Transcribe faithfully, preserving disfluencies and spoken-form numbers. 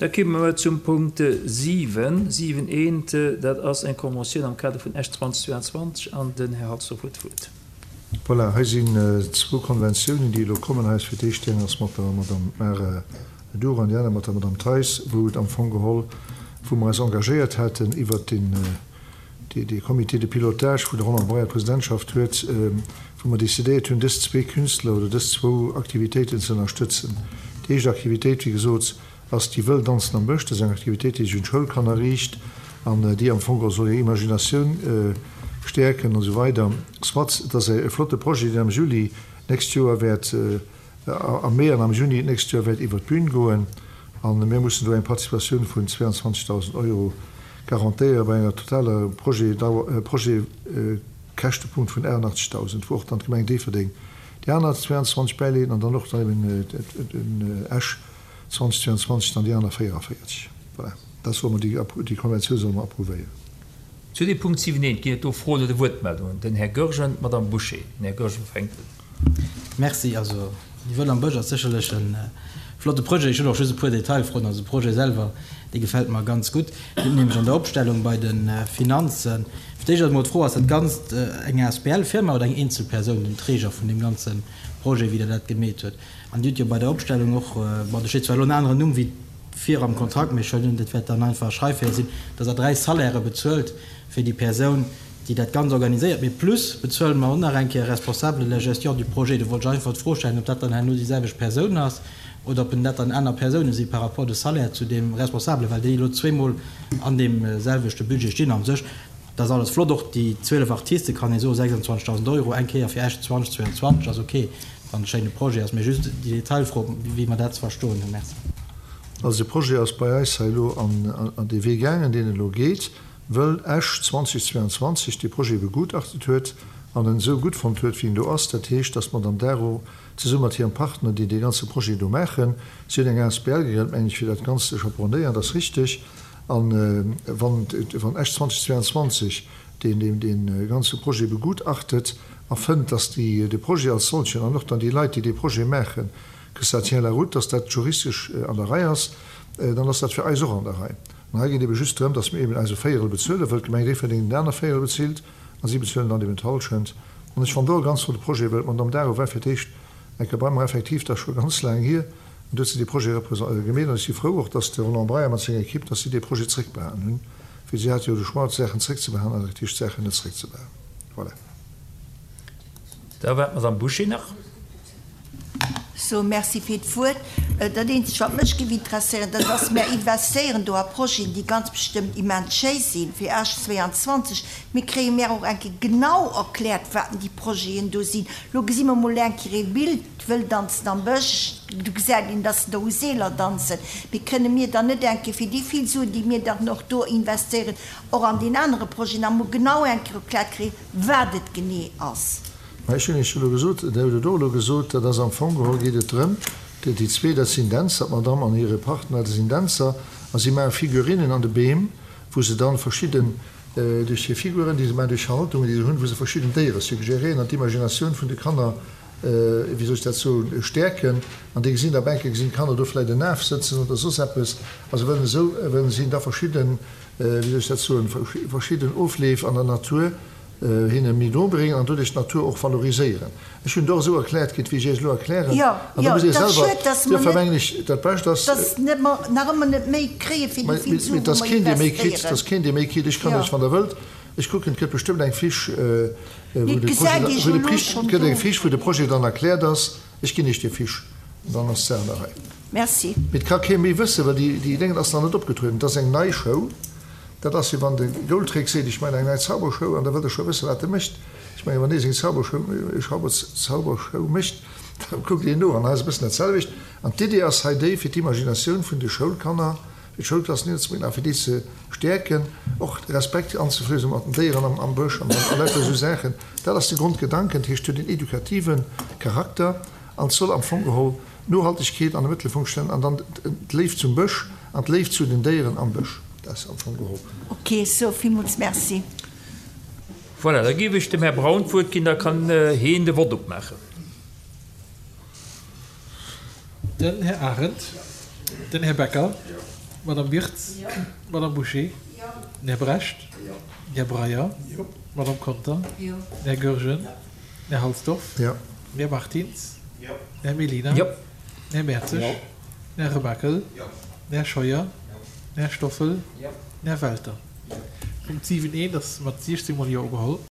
Da komme mer zum Punkt siwen, siwen eent, dat ass eng Konventioun am Kader vun Esch zweitausendzweiundzwanzeg an den Här Halsdorf huet d'Wuert. Voilà, hei sinn zwou Konventiounen, déi elo kommen. Hei ass fir d'éischt déi eng ass mat der Madame Mara Duro an déi aner mat der Madame Theis, wou et am Fong geholl, wou mer eis engagéiert haten iwwert den, dee Comité de pilotage, wou de Roland Breyer d'Presidentschaft huet, wou mer décidéiert hunn, dës zwee Künstler oder dës zwou Aktivitéiten ze ënnerstëtzen. Déi éischt Aktivitéit, wéi gesot, ass déi Wëll danzen am Bësch. Dat ass eng Aktivitéit, déi sech un d'Schoulkanner riicht an déi am Fong och soll hir Imaginatioun stäerken an esou weider. Soit, et ass e flotte Projet, deen am Juli d'nächst Joer wäert, am Mee an am Juni d'nächst Joer wäert iwwert d'Bün goen. A mir mussen do eng Participatioun vun zweiundzwanzigtausend Euro garantéiere bei enger totaler Projetdauer, Projetkäschtepunkt vun achtundachtzigtausend, wou och dann d'Gemeng Déifferdeng déi aner zweiundzwanzig bäileet an dann och dann eben den Esch zweitausendzweiundzwanzig dann déi aner véieranvéierzeg. Voilà, dat solle mer, déi, déi Konventioun solle mer approuvéieren. Zu deem Punkt siwen eent ginn et do Froen oder Wuertmeldungen. Den Här Goergen, d'Madame Bouché. Den Här Goergen fänkt un. Merci. Also, déi Wëll am Bësch ass sécherlech e flotte Projet. Ech hunn och just e puer Detailfroen. Also de Projet selwer, dee gefält mer ganz gutt. Dir hutt nämlech an der Opstellung bei de Finanzen, fir d'éischt ass emol d'Fro, Ass dat Ganzt eng asbl-Firma oder eng Eenzelpersoun, den Träger vun deem ganze Projet, wéi Der dat gemeet hutt? An Dir hutt jo bei der Opstellung och, bon, do steet zwar elo en aneren Numm wéi vir am Kontrakt, mee ech huelen un, dat wäert dann einfach e Schreifeeler sinn, dass Der dräi Salairë bezuelt fir déi Persoun, déi dat Ganzt organiséiert, mee plus bezuele mer och nach eng Kéier e Responsable de la gestion du projet. Do wollt ech einfach d'Fro stellen, ob dat dann herno déi selwecht Persoun ass oder ob dat dann aner Persoune si par rapport de Salaire zu deem Responsable, well déi elo zweemol an deem selwechte Budget stinn. A sech, dat ass alles flott, och déi zwielef Artiste kann ee soen, sechsundzwanzigtausend Euro eng Kéier fir Esch zweitausendzweiundzwanzig ass ok, wann et e schéine Projet ass, mee just déi Detailfro, wéi mer dat ze verstoen hunn. Merci. Also de Projet ass bei eis hei elo an dee Wee gaangen, deen elo geet, wëll Esch zweitausendzweiundzwanzig dee Projet begutachtet huet an en esou gutt fonnt huet, wéi en do ass. Dat heescht, dass d'Madame Daro zesumme mat hirem Partner, déi dee ganze Projet do maachen, si hunn eng asbl gegrënnt, meng ech, fir dat Ganzt ze chaperonnéieren, dat ass richteg. A wann Esch zweitausendzweiundzwanzig deen dee ganze Projet begutachtet a fënnt, dass déi de Projet als solchen an och dann déi Leit, déi dee Projet maachen, que ça tient la route, dass dat juristesch an der Rei ass, dann ass dat fir eis och an der Rei. An hei geet ebe just drëm, dass mir eben eise Véierel bezuelen, wëll d'Gemeng Déifferdeng den aner Véierel bezilt a si bezuelen dann eben d'Hallschent. An ech fannen do e ganz flotte Projet, well d'Madame Daro war fir d'éischt eng Kéier bei mer, effektiv, dat ass scho ganz laang hier, an do huet se dee Projet gemeet. An ech si frou och, dass de Roland Breyer mat senger Equipe, dass si dee Projet zréckbehalen hunn, well si hate jo de Choix, d'Saachen zréckzebehalen an effektiv d'Saachen net zréckzebehalen. Voilà. Da war d'Madame Bouché nach. So, merci fir d'Wuert. Dat Eenzegt, wat mech géif interesséieren, dat ass, mir investéieren do a Projeten, déi ganz bestëmmt immens schéi sinn, fir Esch zweiundzwanzig. Mir kréie mir och eng Kéier genau erkläert, wat denn déi Projeten do sinn. Lo gesi mer mol eng Kéier ee Bild, d'Wëll danzen am Bësch, do gesäit een, dass se do u Seeler danzen. Mee kënne mir dann net eng Kéier fir déi vill Suen, déi mir dann och do investéieren, och an deen anere Projet nach mol genau eng Kéier erkläert kréien, wat et genee ass? Mä ech hunn Iech elo gesot, Der hutt et och elo gesot, dat ass am Fong geholl geet et drëm, déi déi zwee, dat sinn Dänzer, d'Madame an hire Partner, dat sinn Dänzer, a si maache Figurinnen an de Beem, wou se dann verschidden, duerch hir Figuren, déi se maachen, duerch Haltungen, déi se hunn, wou se verschidden Déiere suggéréieren an d'Imaginatioun vun de Kanner, wéi soll ech dat soen, stäerken. An déi gesinn da Bänke, gesinn d'Kanner do vläicht en Af sëtzen oder soss eppes. Also wëllen esou, wëllen si da verschidden, wéi soll ech dat soen, verschidden Ofleef an der Natur hinne méi no bréngen an doduerch d'Natur och valoriséieren. Ech hunn et och esou erkläert kritt, wéi ech Iech elo erklären. Jo, An da jo, musst Dir et ass selwer, schued, dass mer duerfir net, mengen ech, dat Bescht ass, dass net mer nach ëmmer net méi kréie fir déi vill Mee Suen, et wou ass mer keen, dee méi kritt, et investéieren. ass keen, dee méi kritt. Ech kann Jo. Iech, wann Der wëllt, ech kucken, et gëtt bestëmmt eng Fiche, wou Mee et de gesäit Projet, ee wou jo de elo Prich, schonn et gëtt eng do. Fiche, wou de Projet dann erkläert ass. Ech ginn Iech déi Fiche an dann ass d'Saach an der Rei. Merci. Mee et ka kee méi wëssen, well déi, déi Déngen ass nach net opgetrueden. Et ass eng nei Show. Dat ass, wéi wann de Goldrick seet, ech maachen eng nei Zaubershow, an da wëllt e scho wëssen, wat e mécht. Ech mengen, wann dee seng Zaubershow, Zaubershow mécht, da kuckt een no. An hei ass e bëssen dat selwecht. An d'Idee ass hei déi, fir d'Imaginatioun vun de Schoulkanner, fir d'Schoulklassen niederzebréngen a fir déi ze stäerken, och Respekt anzeflößen mat den Déieren am, am Bësch an a lauter esou Saachen. Dat ass de Grondgedanken. Dat heescht, et huet een edukativen Charakter an et soll am Fong geholl d'Nohaltegkeet an de Mëttelpunkt stellen an dann d'Léift zum Bësch an d'Léift zu den Déieren am Bësch. Dat ass am Fong geholl. Ok, sou, villmools merci. Voilà, da géif ech dem Här Braun d'Wuert ginn, da kann heen de Vott opmaachen. Den Här Arendt, den Här Becker, Madame Wirtz. Madame Bouché. Den Här Brecht. Den Här Breyer. Madame Conter. Den Här Goergen. Den Här Halsdorf. Den Här Martins. Den Här Mellina. Den Här Mertzig. Den Här Remakel. Den Här Scheuer. Den Här Stoffel. Den Här Welter. Punkt siwen eent ass mat siechzéng mol Jo ugeholl.